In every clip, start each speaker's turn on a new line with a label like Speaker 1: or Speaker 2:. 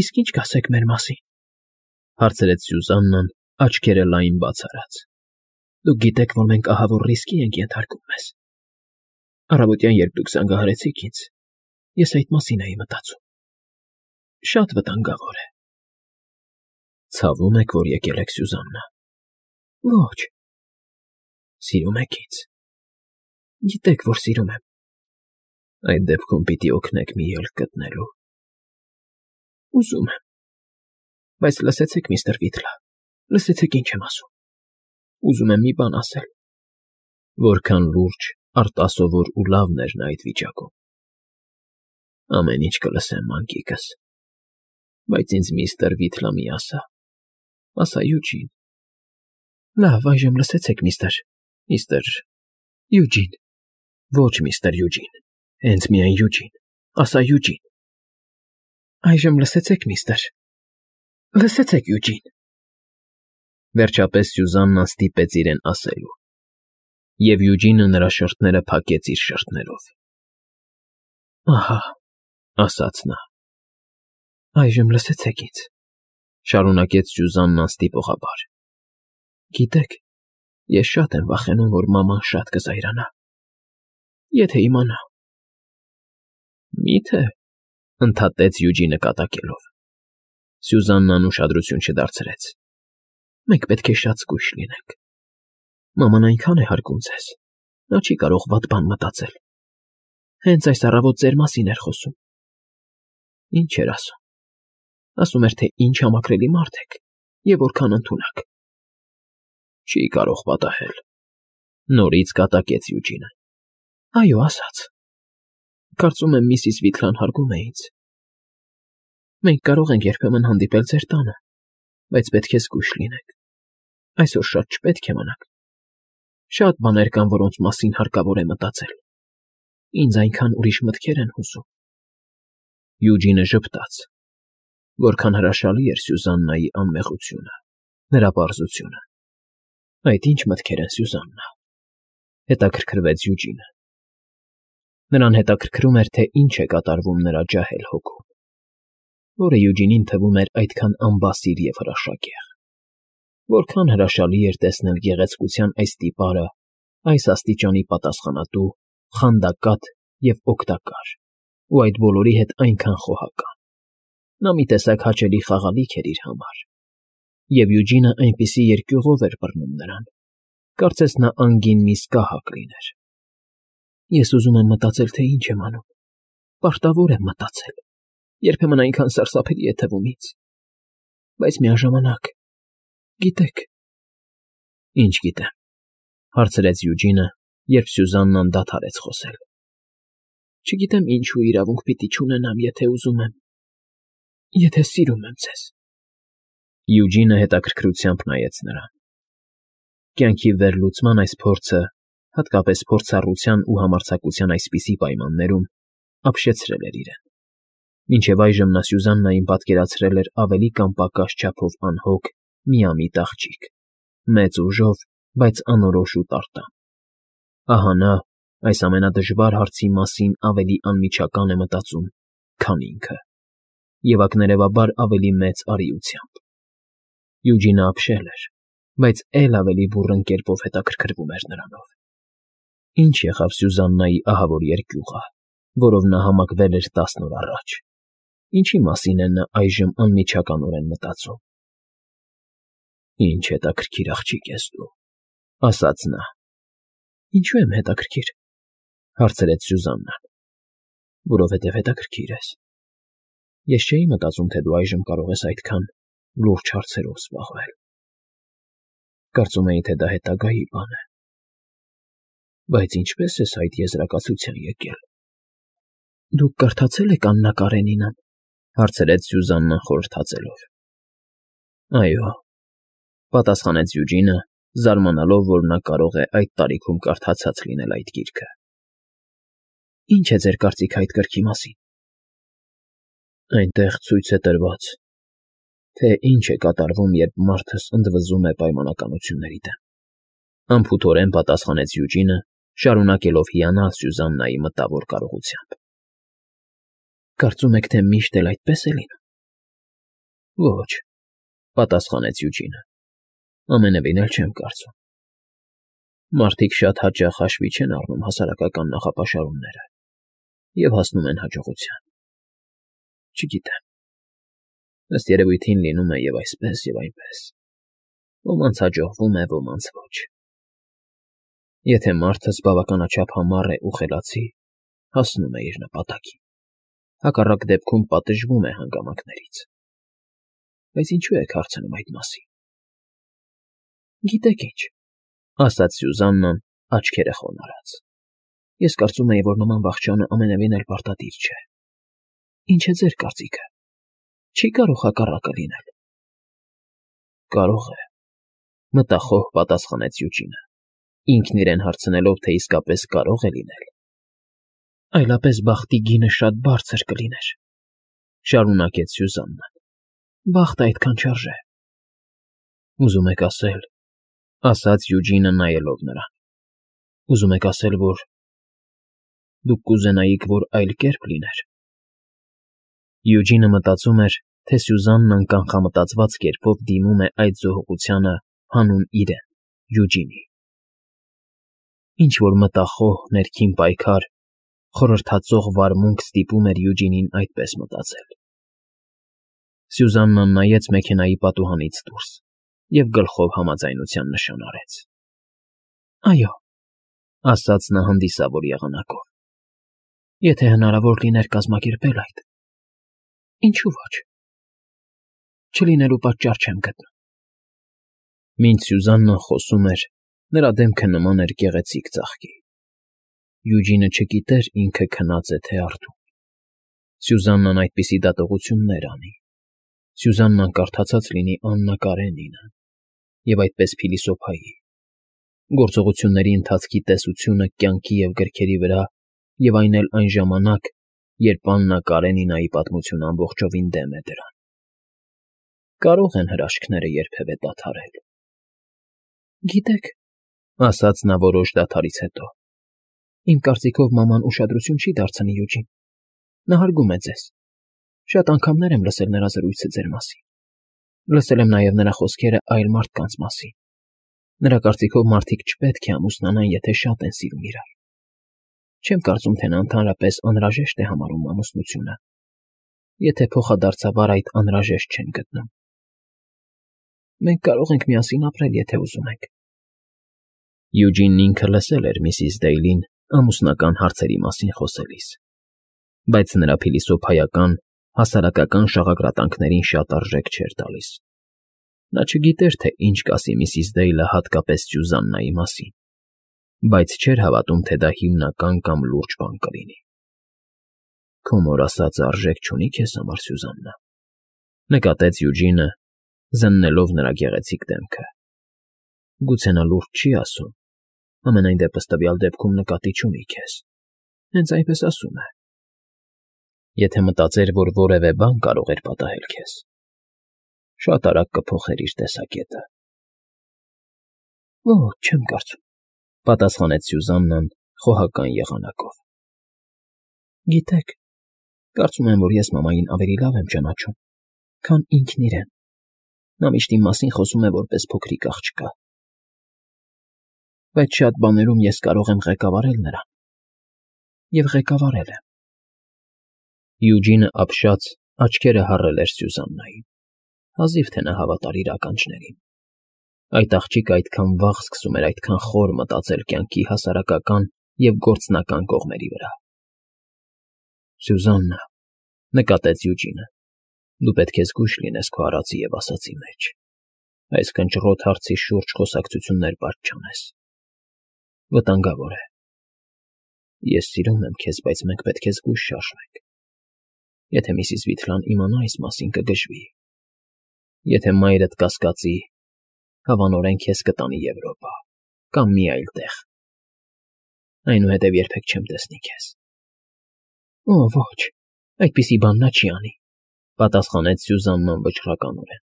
Speaker 1: Իսկ ինչ կասեք մեր մասին,֊ հարցրեց Սյուզաննան, աչքերը լայն բաց արած։ Դուք գիտեք, որ մենք ահավոր ռիսկի ենք ենթարկում մեզ։ Առավոտյան, երբ դուք զանգահարեցիք ինձ, ես այդ մասին էի մտածում։ Շատ վտանգավոր է։ Ցավում եք, որ եկել եք, Սյուզաննա։ Ոչ։ Սիրում եք ինձ։ Գիտեք, որ սիրում եմ։ Այդ դեպքում պիտի օգնեք մի ելք գտնելու։ Ուզում եմ։ Բայց լսեցեք, միստր Վիթլա, լսեցեք ինչ եմ ասում։ Ուզում եմ մի բան ասել։ Որքան լուրջ, արտասովոր ու լավն էր նա այդ վիճակում։ Ամեն ինչ կլսեմ, մանկիկս։ Բայց ինձ միստր Վիթլա մի ասա։ Ասա Յուջին։ Լավ, այժմ լսեցեք, միստր Յուջին։ Ոչ, միստր Յուջին։ Հենց միայն Յուջին։ Ասա Յուջին։ Այժմ լսեցեք, լսեցեք, Յուջին։ Վերջապես Սյուզաննան ստիպեց իրեն ասելու, և Յուջինը նրա շրթները փակեց իր շրթներով։ Ահա, ասաց նա։ Այժմ լսեցեք ինձ, շարունակեց Սյուզաննան ստիպողաբար։ Գիտեք, ես շատ եմ վախենում, որ մաման շատ կզայրանա։ Եթե իմանա։ Մի՞թե, ընդհատեց Յուջինը կատակելով։ Սյուզաննան ուշադրություն չդարձրեց։ Մենք պետք է շատ զգույշ լինենք։ Մաման այնքան է հարգում ձեզ, նա չի կարող վատ բան մտածել։ Հենց այս առավոտ ձեր մասին էր խոսում։ Ինչ էր ասում։ Ասում էր, թե ինչ համակրելի մարդ եք և որքան ընդունակ։ Չի կարող պատահել։ Նորից կատակեց Յուջինը։ Այո, ասաց։ Կարծում եմ, միսիս Վիթլան հարգում է ինձ։ Մենք կարող ենք երբեմն հանդիպել ձեր տանը, բայց պետք է զգույշ լինենք։ Այսօր շատ չպետք է մնաք։ Շատ բաներ կան, որոնց մասին հարկավոր է մտածել։ Ինձ այնքան ուրիշ մտքեր են հուզում։ Յուջինը ժպտաց։ Որքան հրաշալի էր Սյուզաննայի անմեղությունը, նրա պարզությունը։ Այդ ինչ մտքեր են, Սյուզաննա, հետաքրքրվեց Յուջինը։ Նրան հետաքրքրում էր, թե ինչ է կատարվում նրա ջահել հոգում, որը Յուջինին թվում էր այդքան անբասիր և հրաշագեղ։ Որքան հրաշալի էր տեսնել գեղեցկության այս տիպարը, այս աստիճանի պատասխանատու, խանդակատ և օգտակար, ու այդ բոլորի հետ այնքան խոհական։ Նա մի տեսակ հաճելի խաղալիք էր իր համար։ Եվ Յուջինը այնպիսի երկյուղով էր բռնում նրան, կարծես նա անգին մի սկահակ լիներ։ Ես ուզում եմ մտածել, թե ինչ եմ անում։ Պարտավոր եմ մտածել։ Երբեմն այնքան սարսափելի է թվում ինձ։ Բայց միաժամանակ, գիտեք։ Ինչ գիտեմ, հարցրեց Յուջինը, երբ Սյուզաննան դադարեց խոսել։ Չգիտեմ ինչու իրավունք պիտի չունենամ, եթե ուզում եմ, եթե սիրում եմ ձեզ։ Յուջինը հետաքրքրությամբ նայեց նրան։ Կյանքի վերլուծման այս փորձը, հատկապես փորձառության ու համարձակության այսպիսի պայմաններում, ապշեցրել էր իրեն։ Մինչև այժմ նա Սյուզաննային պատկերացրել էր ավելի կամ պակաս չափով անհոգ, միամիտ աղջիկ, մեծ ուժով, բայց անորոշ ու տարտամ։ Ահա նա այս ամենադժվար հարցի մասին ավելի անմիջական է մտածում, քան ինքը, և ակներևաբար ավելի մեծ արիությամբ։ Յուջինը ապշել էր, բայց էլ ավելի բուռն կերպով հետաքրքրվում էր նրանով։ Ինչ եղավ Սյուզաննայի ահավոր երկյուղը, որով նա համակվել էր 10 օր առաջ։ Ինչի մասին է նա այժմ անմիջականորեն մտածում։ Ինչ հետաքրքիր աղջիկ ես դու, ասաց նա։ Ինչու եմ հետաքրքիր, հարցրեց Սյուզաննան։ Որովհետև հետաքրքիր ես։ Ես չէի մտածում, թե դու այժմ կարող ես այդքան լուրջ հարցերով զբաղվել։ Կարծում էի, թե դա հետագայի բան է։ Բայց ինչպես ես այդ եզրակացության եկել։ Դուք կարդացել եք Աննա Կարենինան, հարցրեց Սյուզաննան խորհրդածելով։ Այո, պատասխանեց Յուջինը, զարմանալով, որ նա կարող է այդ տարիքում կարդացած լինել այդ գիրքը։ Ինչ է ձեր կարծիքը այդ գրքի մասին։ Այնտեղ ցույց է տրված, թե ինչ է կատարվում, երբ մարդս ընդվզում է պայմանականությունների դեմ։ Անփութորեն պատասխանեց Յուջինը, շարունակելով հիանալ Սյուզաննայի մտավոր կարողությամբ։ Կարծում եք, թե միշտ էլ այդպես է լինում։ Ոչ, պատասխանեց Յուջինը։ Ամենևին էլ չեմ կարծում։ Մարդիկ շատ հաճախ հաշվի չեն առնում հասարակական նախապաշարումները և հասնում են հաջողության։ Չգիտեմ։ Ըստ երևույթին լինում է և այսպես, և այնպես։ Ոմանց հաջողվում է, ոմանց ոչ։ Եթե մարդը բավականաչափ համառ է ու խելացի, հասնում է իր նպատակին։ Հակառակ դեպքում պատժվում է հանգամանքներից։ Բայց ինչու եք հարցնում այդ մասին։ Գիտեք ինչ, ասաց Սյուզաննան աչքերը խոնարհած։ Ես կարծում էի, որ նման վախճանը ամենևին էլ պարտադիր չէ։ Ինչ է ձեր կարծիքը։ Չի կարող հակառակը լինել։ Կարող է, մտախոհ պատասխանեց Յուջինը, ինքն իրեն հարցնելով, թե իսկապես կարող է լինել։ Այլապես բախտի գինը շատ բարձր կլիներ, շարունակեց Սյուզաննան։ Բախտը այդքան չարժե։ Ուզում եք ասել, ասաց Յուջինը նայելով նրան։ Ուզում եք ասել, որ դուք կուզենայիք, որ այլ կերպ լիներ։ Յուջինը մտածում էր, թե Սյուզաննան կանխամտածված կերպով դիմում է այդ զոհողությանը հանուն իրեն, Յուջինի։ Ինչ-որ մտախոհ, ներքին պայքար, խորհրդածող վարմունք ստիպում էր Յուջինին այդպես մտածել։ Սյուզաննան նայեց մեքենայի պատուհանից դուրս և գլխով համաձայնության նշան արեց։ Այո, ասաց նա հանդիսավոր եղանակով։ Եթե հնարավոր լիներ կազմակերպել այդ, ինչու ոչ։ Չլինելու պատճառ չեմ գտնում։ Մինչ Սյուզաննան խոսում էր, նրա դեմքը նման էր գեղեցիկ ծաղկի։ Յուջինը չգիտեր ինքը քնած է, թե արթուն։ Սյուզաննան այդպիսի դատողություններ անի։ Սյուզաննան կարդացած լինի Աննա Կարենինը և այդպես փիլիսոփայի։ Գործողությունների ընթացքի տեսությունը կյանքի և գրքերի վրա և այն էլ այն ժամանակ, երբ Աննա Կարենինայի պատմությունը ամբողջովին դեմ է դրան։ Կարող են հրաշքները երբևէ դադարել։ Գիտեք, ասաց նա որոշ դադարից հետո, իմ կարծիքով մաման ուշադրություն չի դարձնի Յուջին։ Նա հարգում է ձեզ։ Շատ անգամներ եմ լսել նրա զրույցը ձեր մասին։ Լսել եմ նաև նրա խոսքերը այլ մարդկանց մասին։ Նրա կարծիքով մարդիկ չպետք է ամուսնանան, եթե շատ են սիրում իրար։ Չեմ կարծում, թե նա ընդհանրապես անհրաժեշտ է համարում ամուսնությունը, եթե փոխադարձաբար այդ անհրաժեշտ չեն գտնում։ Մենք կարող ենք միասին ապրել, եթե ուզում ենք։ Յուջինն ինքը լսել էր միսիս Դեյլին ամուսնական հարցերի մասին խոսելիս, բայց նրա փիլիսոփայական, հասարակական շաղակրատանքներին շատ արժեք չէր տալիս։ Նա չգիտեր, թե ինչ կասի միսիս Դեյլը հատկապես Սյուզաննայի մասին, բայց չէր հավատում, թե դա հիմնական կամ լուրջ բան կլինի։ Քո մոր ասածը արժեք չունի քեզ համար, Սյուզաննա, նկատեց Յուջինը, զննելով նրա գեղեցիկ դեմքը։ Գուցե նա լուրջ չի ասում, ամենայն դեպս տվյալ դեպքում նկատի չունի քեզ։ Հենց այնպես ասում է։ Եթե մտածեր, որ որևէ բան կարող էր պատահել քեզ, շատ արագ կփոխեր իր տեսակետը։ Ոչ, չեմ կարծում, պատասխանեց Սյուզաննան խոհական եղանակով։ Գիտեք, կարծում եմ, որ ես մամային ավելի լավ եմ ճանաչում, քան ինքն իրեն։ Նա միշտ իմ մասին խոսում է որպես փոքրիկ աղջկա։ Բայց շատ բաներում ես կարող եմ ղեկավարել նրան։ Եվ ղեկավարել եմ։ Յուջինը ապշած աչքերը հառել էր Սյուզաննային։ Հազիվ թե նա հավատար իր ականջներին։ Այդ աղջիկը այդքան վաղ սկսում էր այդքան խոր մտածել կյանքի հասարակական և գործնական կողմերի վրա։ Սյուզաննա, նկատեց Յուջինը, դու պետք է զգույշ լինես քո արածի և ասացի մեջ։ Այս կնճռոտ հարցի շուրջ խոսակցություններ պարզ չանես։ Վտանգավոր է։ Ես սիրում եմ քեզ, բայց մենք պետք է զգույշ շարժվենք։ Եթե միսիս Վիթլան իմանա այս մասին, կգժվի։ Եթե մայրդ կասկածի, հավանորեն քեզ կտանի Եվրոպա կամ մի այլ տեղ։ Այնուհետև երբեք չեմ տեսնի քեզ։ Օ, ոչ, այդպիսի բան նա չի անի, պատասխանեց Սյուզաննան վճռականորեն։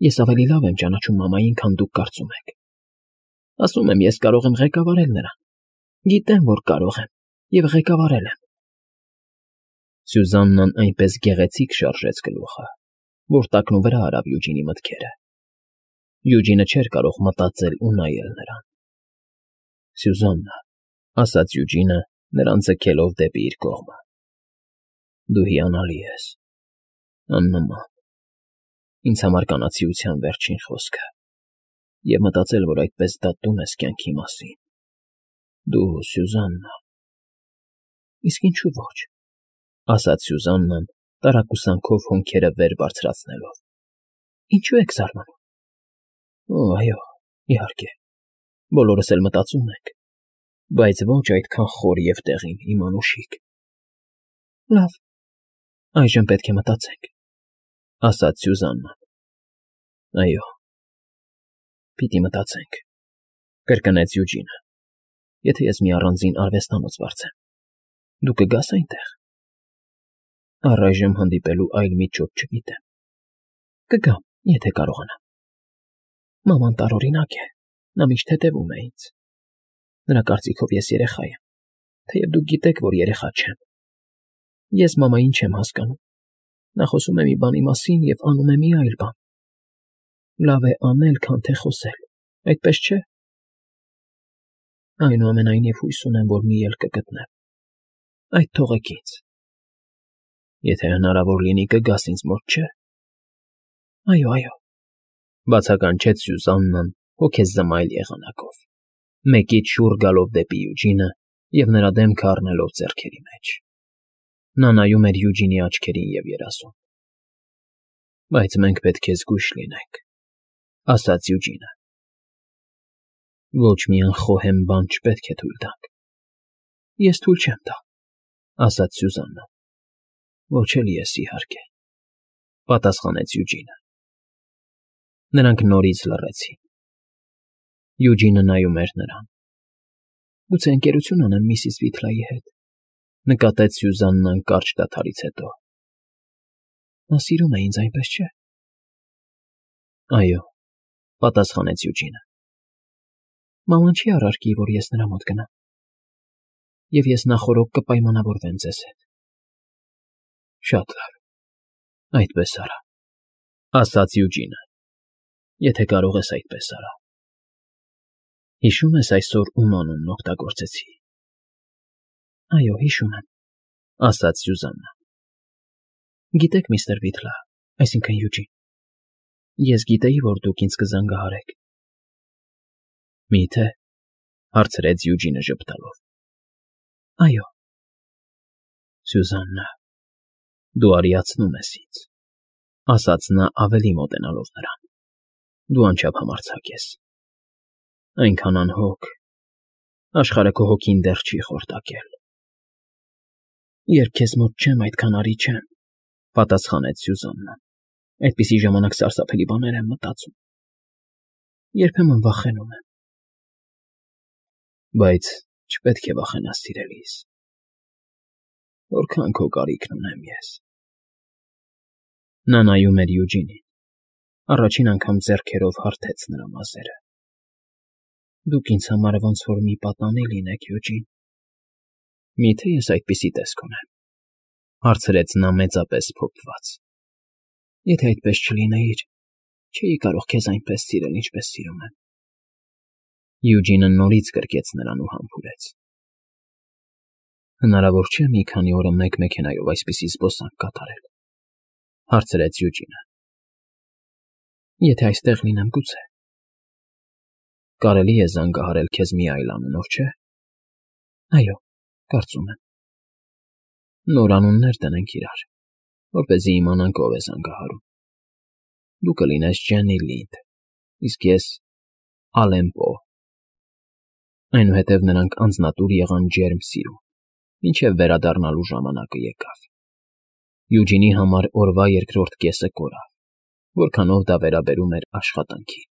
Speaker 1: Ես ավելի լավ եմ ճանաչում մամային, քան դուք կարծում եք։ Ասում եմ, ես կարող եմ ղեկավարել նրան։ Գիտեմ, որ կարող եմ, և ղեկավարել եմ։ Սյուզաննան այնպես գեղեցիկ շարժեց գլուխը, որ տակնուվրա արավ Յուջինի մտքերը։ Յուջինը չէր կարող մտածել ու նայել նրան։ Սյուզաննա, ասաց Յուջինը, նրան ձգելով դեպի իր կողմը։ Դու հիանալի ես, աննման։ Ինձ համար կանացիության վերջին խոսքը, և մտածել, որ այդպես դատում ես կյանքի մասին։ Դու, Սյուզաննա։ Իսկ ինչու ոչ, ասաց Սյուզաննան, տարակուսանքով հոնքերը վեր բարձրացնելով։ Ինչու եք զարմանում։ Օ, այո, իհարկե, բոլորս էլ մտածում ենք, բայց ոչ այդքան խոր և տեղին, իմ անուշիկ։ Լավ, այժմ պետք է մտածենք, ասաց Սյուզաննան։ Այո, պիտի մտածենք, կրկնեց Յուջինը։ Եթե ես մի առանձին արվեստանոց վարձեմ, դու կգաս այնտեղ։ Առայժմ հանդիպելու այլ միջոց չգիտեմ։ Կգամ, եթե կարողանամ։ Մաման տարօրինակ է, նա միշտ հետևում է ինձ։ Նրա կարծիքով ես երեխա եմ, թեև դուք գիտեք, որ երեխա չեմ։ Ես մամային չեմ հասկանում։ Նա խոսում է մի բանի մասին և անում է մի այլ բան։ Լավ է անել, քան թե խոսել, այդպես չէ։ Այնուամենայնիվ հույս ունեմ, որ մի ելք կգտնեմ։ Այդ թողեք ինձ։ Եթե հնարավոր լինի, կգաս ինձ մոտ, չէ՞։ Այո, այո, բացականչեց Սյուզաննան հոգեզմայլ եղանակով, մեկից շուռ գալով դեպի Յուջինը և նրա դեմքը առնելով ձեռքերի մեջ։ Նա նայում էր Յուջինի աչքերին և երազում։ Բայց մենք պետք է զգույշ լինենք, ասաց Յուջինը։ Ոչ մի անխոհեմ բան չպետք է թույլ տանք։ Ես թույլ չեմ տա, ասաց Սյուզաննան։ Ոչ էլ ես, իհարկե, պատասխանեց Յուջինը։ Նրանք նորից լռեցին։ Յուջինը նայում էր նրան։ Գուցե ընկերություն անեմ միսիս Վիթլայի հետ, նկատեց Սյուզաննան կարճ դադարից հետո։ Նա սիրում է ինձ, այնպես չէ։ Այո, պատասխանեց Յուջինը։ Մաման չի առարկի, որ ես նրա մոտ գնամ։ Եվ ես նախօրոք կպայմանավորվեմ ձեզ հետ։ Շատ լավ, այդպես արա, ասաց Յուջինը։ Եթե կարող ես այդպես արա։ Հիշում ես այսօր ում անունն օգտագործեցի։ Այո, հիշում եմ, ասաց Սյուզաննան։ Գիտեք, միստր Վիթլա, այսինքն Յուջին, ես գիտեի, որ դուք ինձ կզանգահարեք։ Մի՞թե, հարցրեց Յուջինը ժպտալով։ Այո։ Սյուզաննա, դու արիացնում ես ինձ, ասաց նա ավելի մոտենալով նրան։ Դու անչափ համարձակ ես։ Այնքան անհոգ, աշխարհը քո հոգին դեռ չի խորտակել։ Երբ քեզ մոտ չեմ, այդքան արի չեմ, պատասխանեց Սյուզաննան։ Այդպիսի ժամանակ սարսափելի բաներ եմ մտածում։ Երբեմն վախենում եմ։ Բայց չպետք է վախենաս, սիրելիս։ Որքան քո կարիքն ունեմ ես։ Նա նայում էր Յուջինին։ Առաջին անգամ ձեռքերով հարթեց նրա մազերը։ Դուք ինձ համար ոնց որ մի պատանի լինեք, Յուջին։ Մի՞թե ես այդպիսի տեսք ունեմ, հարցրեց նա մեծապես փոփված։ Եթե այդպես չլինեիր, չէի կարող քեզ այնպես սիրել, ինչպես սիրում եմ։ Յուջինը նորից գրկեց նրան ու համբուրեց։ Հնարավոր չէ մի քանի օրը մեկ մեքենայով այսպիսի զբոսանք կատարել, հարցրեց Յուջինը։ Եթե այստեղ լինեմ, գուցե։ Կարելի է զանգահարել քեզ մի այլ անունով, չէ՞։ Այո, կարծում եմ։ Նոր անուններ դնենք իրար, որպեսզի իմանանք ով է զանգահարում։ Դու կլինես Ջեննի Լինդ, իսկ ես Ալեն Պո։ Այնուհետև նրանք անձնատուր եղան ջերմ սիրուն, մինչև վերադառնալու ժամանակը եկավ։ Յուջինի համար օրվա երկրորդ կեսը կորավ, որքանով դա վերաբերում էր աշխատանքին։